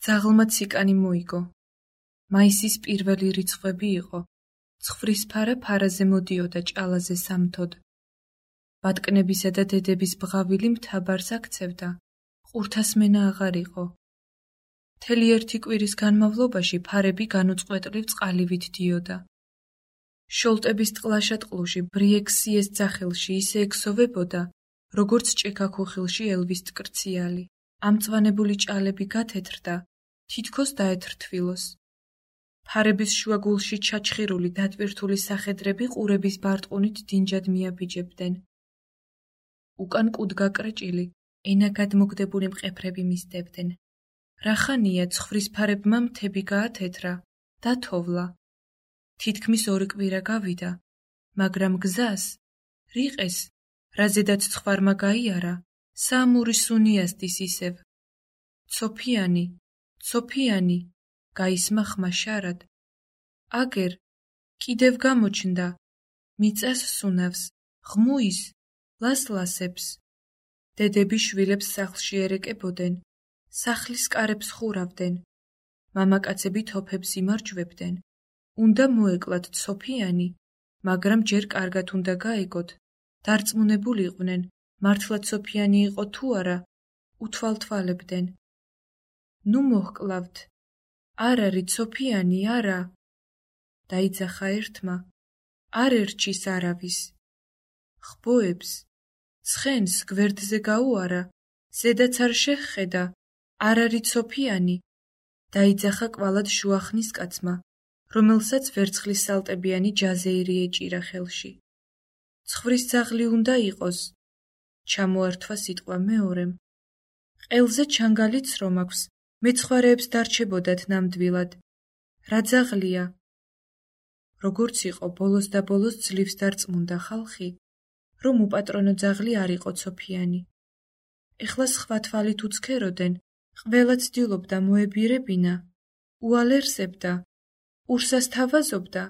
ძაღლმა ციკანი მოიგო. მაისის პირველი რიცხვები იყო. ცხვრისფარა ფარაზე მოდიოდა ჭალაზე სამთოდ. ბატკნებისა და დედების ბღავილი მთაბარს აქცევდა. ყურთასმენა აღარ იყო. მთელი ერთი კვირის განმავლობაში ფარები განუწყვეტლივ წყალივით დიოდა. შოლტების ტყლაშატყლუში ბრიექსიეს ძახილში ისე ექსოვებოდა, როგორც ჭექაქუხილში ელვის ტკრციალი. ამწვანებული ჭალები გათეთრდა, თითქოს დაეთრთვილოს. ფარების შუაგულში ჩაჩხირული დატვირთული სახედრები ყურების ბარტყუნით დინჯად მიაბიჯებდნენ. უკან კუდგაკრეჭილი, ენა გადმოგდებული მყეფრები მისდებდნენ. რახანია ცხვრისფარებმა მთები გაათეთრა, დათოვლა. თითქმის 2 კვირა გავიდა, მაგრამ გზას, რიყეს, რაზედაც ცხვარმა გაიარა, საამური სუნიასდის ისევ. ცოფიანი, ცოფიანი, გაისმა ხმა შარად. აგერ, კიდევ გამოჩნდა, მიწას სუნავს, ღმუის, ლასლასებს. დედები შვილებს სახლში ერეკებოდნენ, სახლის კარებს ხურავდნენ, მამაკაცები თოფებს იმარჯვებდნენ. უნდა მოეკლათ ცოფიანი, მაგრამ ჯერ კარგად უნდა გაეგოთ. დარწმუნებულიყვნენ, მართლა ცოფიანი იყო თუ არა, უთვალთვალებდნენ. ნუ მოჰკლავთ, არ არის ცოფიანი, არა. დაიძახა ერთმა, არ ერჩის არავის. ხბოებს, ცხენს გვერდზე გაუარა, ზედაც არ შეჰხედა, არ არის ცოფიანი. დაიძახა კვალად შუახნის კაცმა, რომელსაც ვერცხლის სალტებიანი ჯაზეირი ეჭირა ხელში. ცხვრის ძაღლი უნდა იყოს. ჩამოართვა სიტყვა მეორემ. ყელზე ჩანგალიც რომ აქვს, მეცხვარეებს დარჩებოდათ ნამდვილად. რა ძაღლია? როგორც იყო, ბოლოს და ბოლოს ძლივს დარწმუნდა ხალხი, რომ უპატრონო ძაღლი არ იყო ცოფიანი. ეხლა სხვა თვალით უცქეროდნენ, ყველა ცდილობდა მოებირებინა, უალერსებდა, ყურსას თავაზობდა,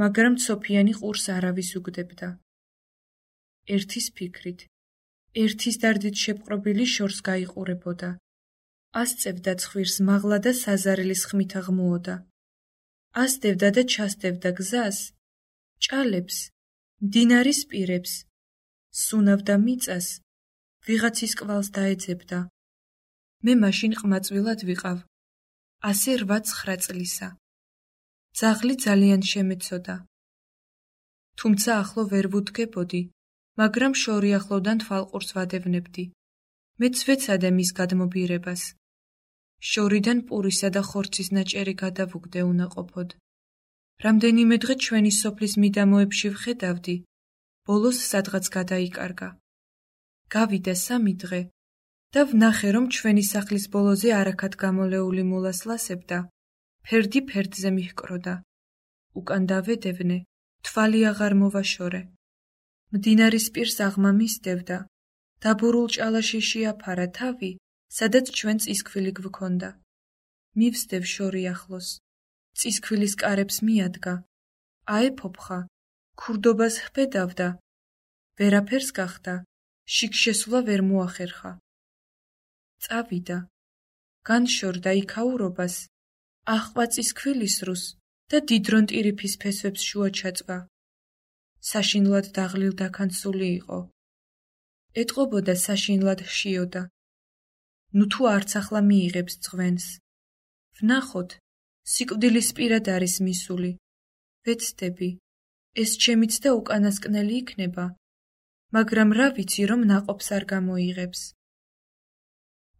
მაგრამ ცოფიანი ყურს არავის უგდებდა. ერთის ფიქრით, ერთის დარდით შეპყრობილი შორს გაიყურებოდა. ასწევდა ცხვირს მაღლა და საზარელის ხმით აღმუოდა. ასდევდა და ჩასდევდა გზას, ჭალებს, მდინარის პირებს, სუნავდა მიწას, ვიღაცის კვალს დაეძებდა. მე მაშინ ყმაწვილად ვიყავ, ასე 8-9 წლისა. ძაღლი ძალიან შემეცოდა. თუმცა ახლო ვერ ვუდგებოდი, მაგრამ შორი ახლოდან თვალყურს ვადევნებდი. მეც ვეცადე მის გადმობირებას. შორიდან პურისა და ხორცის ნაჭერი გადავუგდე უნაყოფოდ. რამდენიმე დღე ჩვენი სოფლის მიდამოებში ვხედავდი, ბოლოს სადღაც გადაიკარგა. გავიდა 3 დღე და ვნახე, რომ ჩვენი სახლის ბოლოზე არაქად გამოლეული მულასლასებდა, ფერდი ფერდზე მიჰკროდა. უკან დავედევნე, თვალი აღარ მოვაშორე. მდინარის პირს აღმა მისდევდა. დაბურულ ჭალაში შეაფარა თავი, სადაც ჩვენ წისქვილი გვქონდა. მივსდევ შორი ახლოს. წისქვილის კარებს მიადგა. აეფოფხა, ქურდობას ჰბედავდა. ვერაფერს გახდა, შიგ-შესვლა ვერ მოახერხა. წავიდა. განშორდა იქაურობას, აჰყვა წისქვილის რუს და დიდრონ ტირიფის ფესვებს შუა ჩაწვა. საშინლად დაღლილ დაქანცული იყო. ეტყობოდა საშინლად ჰშიოდა. ნუ თუ არც ახლა მიიღებს ძღვენს. ვნახოთ, სიკვდილის პირად არის მისული. ვეცდები, ეს ჩემიც და უკანასკნელი იქნება, მაგრამ რა ვიცი, რომ ნაყოფს არ გამოიღებს.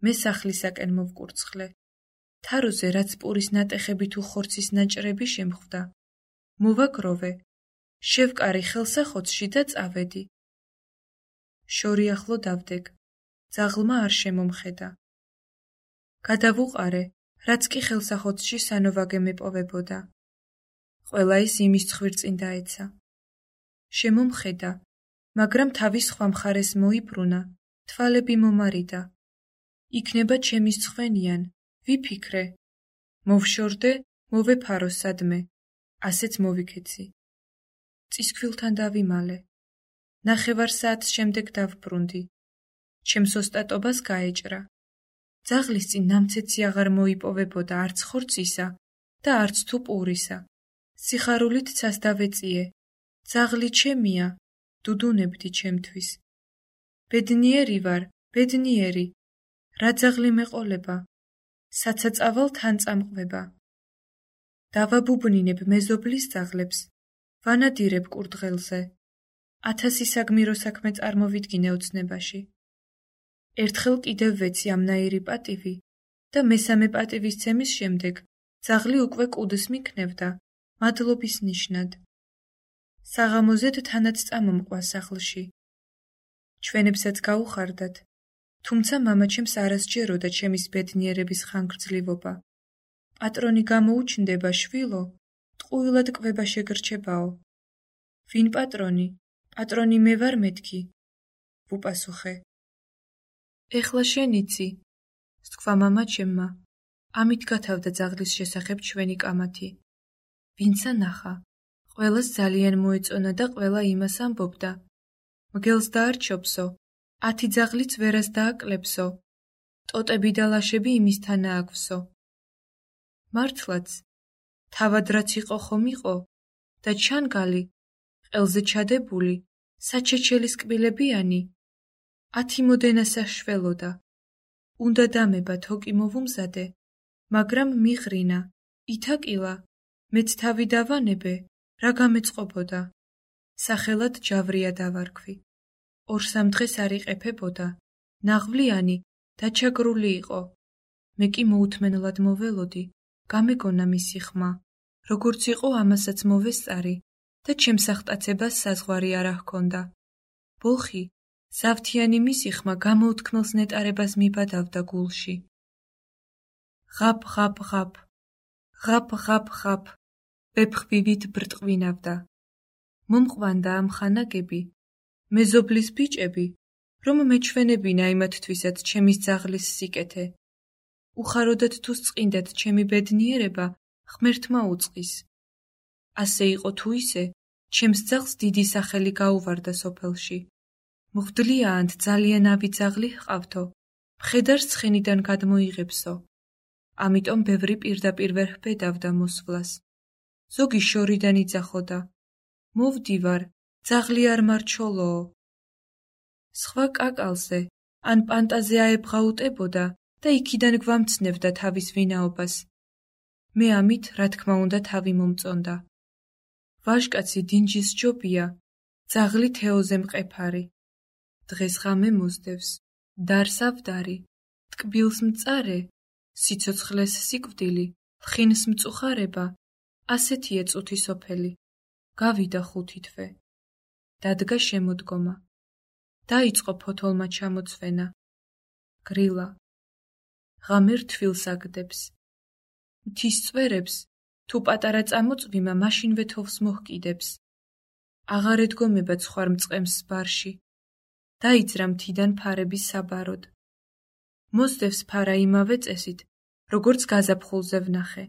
მე სახლისაკენ მოვკურცხლე. თაროზე რაც პურის ნატეხები თუ ხორცის ნაჭრები შემხვდა. მოვაგროვე, შევკარი ხელსახოცში და წავედი. შორი ახლო დავдэг, ძაღლმა არ შემომხედა. გადავუყარე, რაც კი ხელსახოცში სანოვაგე მეპოვებოდა. ყველა ის იმის ცხვირწინ დაეცა. შემომხედა, მაგრამ თავის სხვა მხარეს მოიბრუნა, თვალები მომარიდა. იქნება ჩემის ცხვენიან, ვიფიქრე. მოვშორდე, მოვეფარო სადმე, ასეც მოვიქეცი. წისქვილთან დავიმალე. 9 საათს შემდეგ დავბრუნდი. ჩემს ოსტატობას გაეჭრა. ძაღლის წინ ნამცეცი აღარ მოიპოვებოდა არც ხორცისა და არც თუ პურისა. სიხარულით ცას დავეწიე, ძაღლი ჩემია, დუდუნებდი ჩემთვის. ბედნიერი ვარ, ბედნიერი, რა ძაღლი მეყოლება, საცაწავალ თან წამყვება. დავაბუბნინებ მეზობლის ძაღლებს, ვანადირებ კურდღელზე. 1000 საგმირო საქმე წარმოვიდგინე ოცნებაში. ერთხელ კიდევ ვეცი ამნაირი პატივი და მესამე პატივისცემის შემდეგ ძაღლი უკვე კუდს მიქნევდა, მადლობის ნიშნად. საღამოზედ თანაც წამომყვა სახლში. ჩვენებსაც გაუხარდათ, თუმცა მამაჩემს არ ასჯეროდა ჩემის ბედნიერების ხანგრძლივობა. პატრონი გამოუჩნდება, შვილო, ტყუილად კვება შეგრჩებაო. ვინ პატრონი? პატრონი მე ვარ მეთქი, ვუპასუხე. ეხლა შენ იცი, სთქვა მამაჩემმა, ამით გათავდა ძაღლის შესახებ ჩვენი კამათი. ვინცა ნახა, ყველას ძალიან მოეწონა და ყველა იმას ამბობდა. მგელს დაარჩობსო, 10 ძაღლიც ვერას დააკლებსო, ტოტები და ლაშები იმისთანა აქვსო. მართლაც, თავად რაც იყო ხომ იყო, და ჩანგალი, ყელზე ჩადებული, საჩეჩელის კბილებიანი, 10 მოდენა საშველოდა. უნდა დამება თოკი მოვუმზადე, მაგრამ მიღრინა, ითაკილა, მეც თავი დავანებე, რა გამეწყობოდა. სახელად ჯავრია დავარქვი. 2-3 დღეს არ იყეფებოდა, ნაღვლიანი, დაჩაგრული იყო. მე კი მოუთმენლად მოველოდი, გამეგონა მისი ხმა, როგორც იყო ამასაც მოვესწარი და ჩემს აღტაცებას საზღვარი არა ჰქონდა. ბოხი, ზავთიანი მისი ხმა გამოუთქმელს ნეტარებას მიბადავდა გულში. ღაპ, ღაპ, ღაპ, ღაპ, ღაპ, ღაპ, ვეფხვივით ბრტყვინავდა. მომყვანდა ამ ხანაგები, მეზობლის ბიჭები, რომ მეჩვენებინა იმათთვისაც ჩემის ძაღლის სიკეთე. უხაროდათ თუ სწყინდათ ჩემი ბედნიერება, ღმერთმა უწყის. ასე იყო თუ ისე, ჩემს ძაღლს დიდი სახელი გაუვარდა სოფელში. მღვდლიაანთ ძალიან ავი ძაღლი ჰყავთო, მხედარს ცხენიდან გადმოიღებსო. ამიტომ ბევრი პირდაპირ ვერ ჰბედავდა მოსვლას. ზოგი შორიდან იძახოდა. მოვდივარ, ძაღლი არ მარჩოლოო. სხვა კაკალზე, ან პანტაზე აებღაუტებოდა და იქიდან გვამცნევდა თავის ვინაობას. მე ამით, რა თქმა უნდა, თავი მომწონდა. ვაჟკაცი დინჯის ჯობია, ძაღლი თეოზე მყეფარი. დღეს ღამე მოსდევს, დარს ავდარი, ტკბილს მწარე, სიცოცხლეს სიკვდილი, ლხინს მწუხარება, ასეთია წუთი სოფელი. გავიდა 5 თვე. დადგა შემოდგომა. დაიწყო ფოთოლმა ჩამოცვენა. გრილა. ღამე რთვილს აგდებს. მთის წვერებს, თუ პატარა წამოწვიმა, მაშინვე თოვს მოჰკიდებს. აღარ ედგომება ცხვარ მწყემს ბარში. დაიძრა მთიდან ფარების საბაროდ. მოსდევს ფარა იმავე წესით, როგორც გაზაფხულზე ვნახე.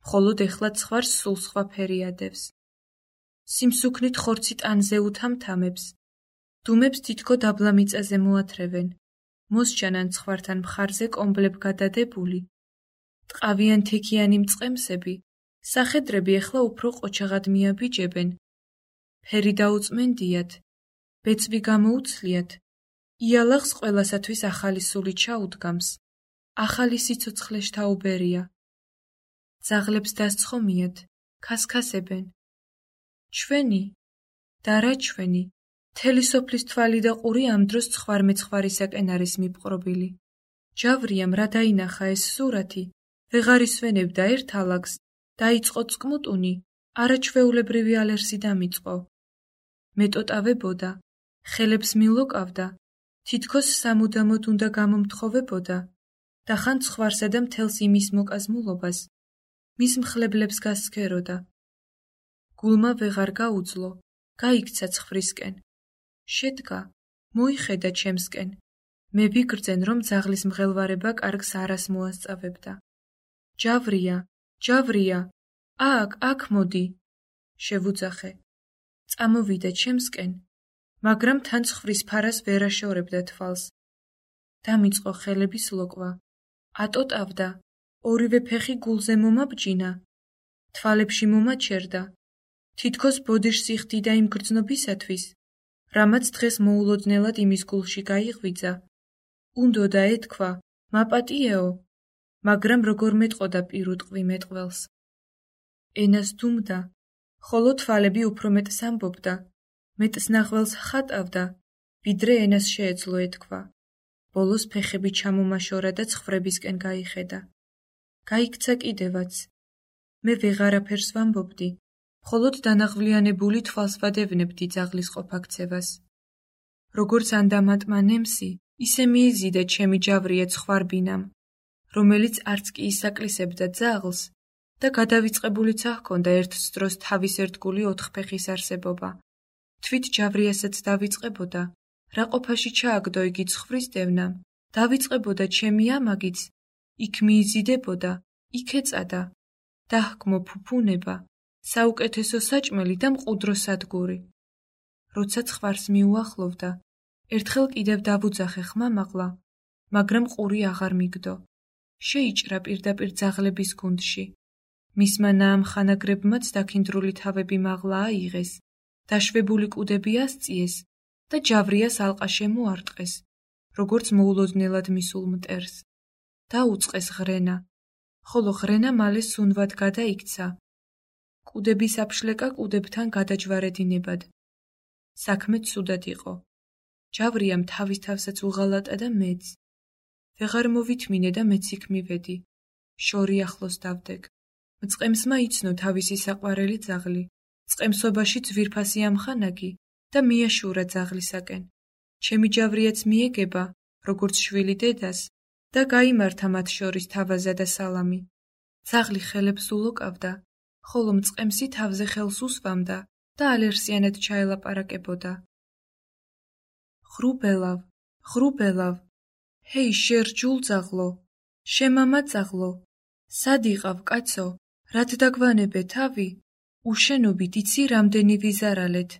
მხოლოდ ეხლა ცხვარს სულ სხვა ფერი ადევს. სიმსუქნით ხორცი ტანზე უთამთამებს. დუმებს თითქო დაბლა მიწაზე მოათრევენ. მოსჯანან ცხვართან მხარზე კომბლებ გადადებული. ტყავიან თექიანი მწყემსები, სახედრები ეხლა უფრო ყოჩაღად მიაბიჯებენ. ფერი დაუწმენდიათ, ბეწვი გამოუცლიათ, იალაღს ყველასათვის ახალი სული ჩაუდგამს, ახალი სიცოცხლე შთაუბერია. ძაღლებს დასცხომიათ, ქასქასებენ. ჩვენი, და რა ჩვენი, მთელი სოფლის თვალი და ყური ამ დროს ცხვარმეცხვარისაკენ არის მიპყრობილი. ჯავრიამ რა დაინახა ეს სურათი, ვეღარ ისვენებდა ერთ ალაგს, დაიწყო წკმუტუნი, არაჩვეულებრივი ალერსი დამიწყო. მეტოტავებოდა, ხელებს მილოკავდა, თითქოს სამუდამოდ უნდა გამომთხოვებოდა და ხან ცხვარსა და მთელს იმის მოკაზმულობას, მის მხლებლებს გასცქეროდა. გულმა ვეღარ გაუძლო, გაიქცა ცხვრისკენ. შედგა, მოიხედა ჩემსკენ. მე ვიგრძენ, რომ ძაღლის მღელვარება კარგს არას მოასწავებდა. ჯავრია, ჯავრია, აქ მოდი, შევუძახე. წამოვიდა ჩემსკენ, მაგრამ თან ცხვრის ფარას ვერ აშორებდა თვალს. დამიწყო ხელების ლოკვა. ატოტავდა, ორივე ფეხი გულზე მომაბჯინა, თვალებში მომაჩერდა, თითქოს ბოდიშს იხდიდა იმ გრძნობისათვის, რამაც დღეს მოულოდნელად იმის გულში გაიღვიძა. უნდოდა ეთქვა, მაპატიეო, მაგრამ როგორ მეტყოდა პირუტყვი მეტყველს. ენას დუმდა, ხოლო თვალები უფრო მეტს ამბობდა, მეტს ნახველს ხატავდა, ვიდრე ენას შეეძლო ეთქვა. ბოლოს ფეხები ჩამომაშორა და ცხრებისკენ გაიხედა. გაიქცა კიდევაც. მე ვეღარაფერს ვამბობდი, მხოლოდ დანაღვლიანებული თვალს ვადევნებდი ძაღლის ყოფაქცევას. როგორც ანდამატმა ნემსი, ისე მიიზიდა ჩემი ჯავრია ცხვარბინამ, რომელიც არც კი ისაკლისებდა ძაღლს და გადავიწყებულიც აჰქონდა ერთს დროს თავის ერთგული ოთხფეხის არსებობა. თვით ჯავრიასაც დავიწყებოდა, რა ყოფაში ჩააგდო იგი ცხვრის დევნამ, დავიწყებოდა ჩემი ამაგიც, იქ მიიზიდებოდა, იქ ეწადა, დაჰკმო ფუფუნება, საუკეთესო საჭმელი და მყუდრო სადგური. როცა ცხვარს მიუახლოვდა, ერთხელ კიდევ დავუძახე ხმამაღლა, მაგრამ ყური აღარ მიგდო. შეიჭრა პირდაპირ ძაღლების გუნდში. მისმა ნაამხანაგრებმაც დაქინდრული თავები მაღლა აიღეს, დაშვებული კუდები ასწიეს და ჯავრიას ალყა შემოარტყეს, როგორც მოულოდნელად მისულ მტერს. დაუწყეს ღრენა, ხოლო ღრენა მალე სუნვად გადაიქცა. კუდების აფშლეკა კუდებთან გადაჯვარედინებად. საქმე ცუდად იყო. ჯავრიამ თავის თავსაც უღალატა და მეც. ვეღარ მოვითმინე და მეც იქ მივედი. შორი ახლოს დავდეგ. მწყემსმა იცნო თავისი საყვარელი ძაღლი. წყემსობაში ძვირფასი ამხანაგი და მიაშურა ძაღლისაკენ. ჩემი ჯავრიაც მიეგება, როგორც შვილი დედას, და გაიმართა მათ შორის თავაზა და სალამი. ძაღლი ხელებს ულოკავდა, ხოლო მწყემსი თავზე ხელს უსვამდა და ალერსიანად ჩაელაპარაკებოდა. ხრუბელავ, ხრუბელავ, ჰეი შერჯულ ძაღლო, შემამა ძაღლო, სად იყავ კაცო, რად დაგვანებე თავი, უშენობით იცი რამდენი ვიზარალეთ.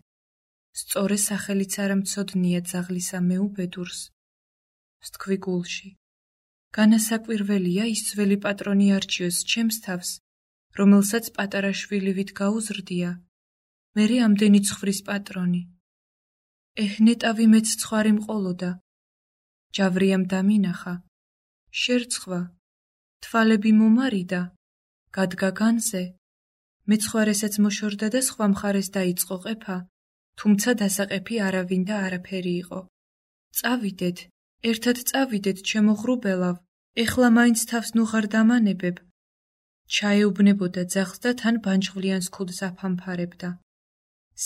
სწორე სახელიც არ მცოდნია ძაღლისა მეუბედურს. ვსთქვი გულში. განასაკვირველია ის ძველი პატრონი არჩიოს ჩემს თავს, რომელსაც პატარა შვილივით გაუზრდია, მერე ამდენი ცხვრის პატრონი. ნეტავი მეც ცხვარი მყოლოდა. ჯავრიამ დამინახა. შერცხვა. თვალები მომარიდა. გადგა განზე. მეცხვარესაც მოშორდა და სხვა მხარეს დაიწყო ყეფა, თუმცა დასაყეფი არავინ და არაფერი იყო. წავიდეთ, ერთად წავიდეთ, ჩემო ხრუბელავ, ეხლა მაინც თავს ნუღარ დამანებებ. ჩაეუბნებოდა ძაღლს და თან ბანჯღვლიანს ქუდს აფამფარებდა.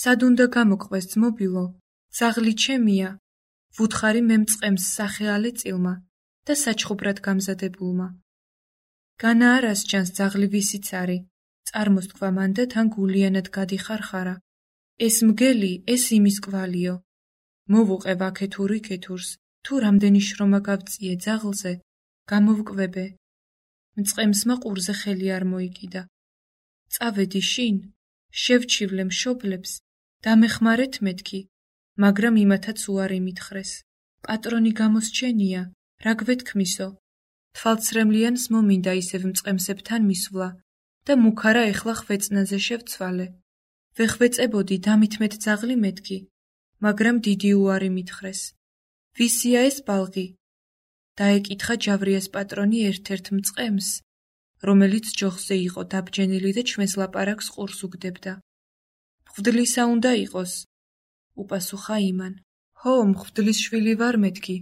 სად უნდა გამოგყვეს ძმობილო, ძაღლი ჩემია, ვუთხარი მე მწყემს სახეალე წილმა და საჩხუბრად გამზადებულმა. განა არას ჯანს ძაღლი ვისიც არის, წარმოსთქვა მან და თან გულიანად გადიხარხარა. ეს მგელი, ეს იმის კვალიო. მოვუყევ აქეთურ იქეთურს, თუ რამდენი შრომა გავწიე ძაღლზე, გამოვკვებე. მწყემსმა ყურზე ხელი არ მოიკიდა. წავედი შინ, შევჩივლე მშობლებს, დამეხმარეთ მეთქი, მაგრამ იმათაც უარი მითხრეს. პატრონი გამოსჩენია, რა გვეთქმისო. თვალცრემლიანს მომინდა ისევ მწყემსებთან მისვლა და მუქარა ეხლა ხვეწნაზე შევცვალე. ვეხვეწებოდი დამითმეთ ძაღლი მეთქი, მაგრამ დიდი უარი მითხრეს. ვისია ეს ბალღი? დაეკითხა ჯავრიას პატრონი ერთ-ერთ მწყემს, რომელიც ჯოხზე იყო დაბჯენილი და ჩვენს ლაპარაკს ყურს უგდებდა. მღვდლისა უნდა იყოს, უპასუხა იმან. ჰო, მღვდლის შვილი ვარ მეთქი.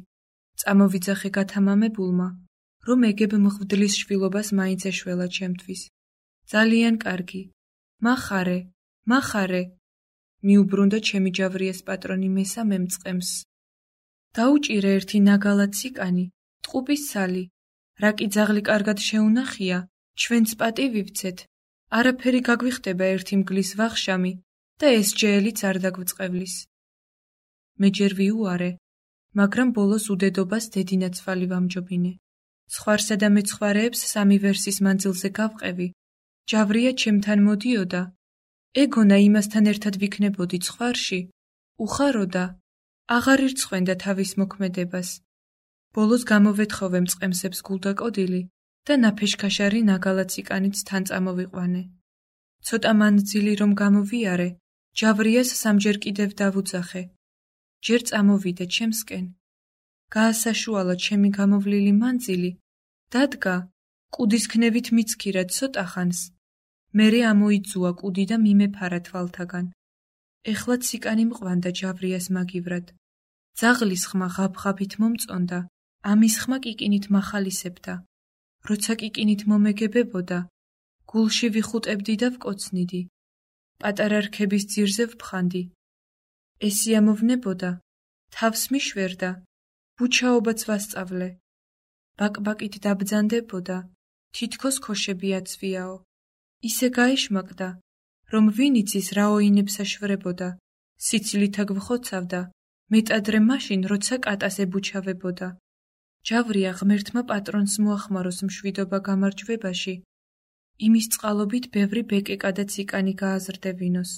წამოვიძახე გათამამებულმა, რომ ეგებ მღვდლის შვილობას მაინც ეშველა ჩემთვის. ძალიან კარგი. მახარე, მახარე. მიუბრუნდა ჩემი ჯავრიას პატრონი მესამე მწყემს. დაუჭირე ერთი ნაგალა ციკანი, ტყუპის სალი. რა კი ძაღლი კარგად შეუნახია, ჩვენც პატივი ვცეთ. არაფერი გაგვიხდება ერთი მგლის ვახშამი და ეს ჯეელიც არ დაგვწყევლის. მე ჯერ ვიუარე, მაგრამ ბოლოს უდედობას დედინაცვალი ვამჯობინე. ცხვარსა და მეცხვარეებს სამი ვერსის მანძილზე გავყევი. ჯავრია ჩემთან მოდიოდა. ეგონა იმასთან ერთად ვიქნებოდი ცხვარში, უხაროდა, აღარ ირცხვენდა თავის მოქმედებას. ბოლოს გამოვეთხოვე მწყემსებს გულდაკოდილი და ნაფეშქაშარი ნაგალა ციკანიც თან წამოვიყვანე. ცოტა მანძილი რომ გამოვიარე, ჯავრიას სამჯერ კიდევ დავუძახე. ჯერ წამოვიდე ჩემსკენ. გაასაშუალა ჩემი გამოვლილი მანძილი, დადგა, კუდის ქნევით მიცქირა ცოტა ხანს. მერე ამოიძუა კუდი და მიმეფარა თვალთაგან. ეხლა ციკანი მყვანდა ჯავრიას მაგივრად. ძაღლის ხმა ღაბღაბით მომწონდა, ამის ხმა კიკინით მახალისებდა. როცა კიკინით მომეგებებოდა, გულში ვიხუტებდი და ვკოცნიდი. პატარა რქების ძირზე ვფხანდი. ესიამოვნებოდა, თავს მიშვერდა, ბუჩაობაც ვასწავლე. ბაკბაკით დაბძანდებოდა, თითქოს ქოშები აცვიაო. ისე გაეშმაკდა, რომ ვინ იცის რა ოინებს აშვრებოდა, სიცილით აგვხოცავდა, მეტადრე მაშინ, როცა კატას ებუჩავებოდა. ჯავრია ღმერთმა პატრონს მოახმაროს მშვიდობა გამარჯვებაში, იმის წყალობით ბევრი ბეკეკა და ციკანი გააზრდებინოს.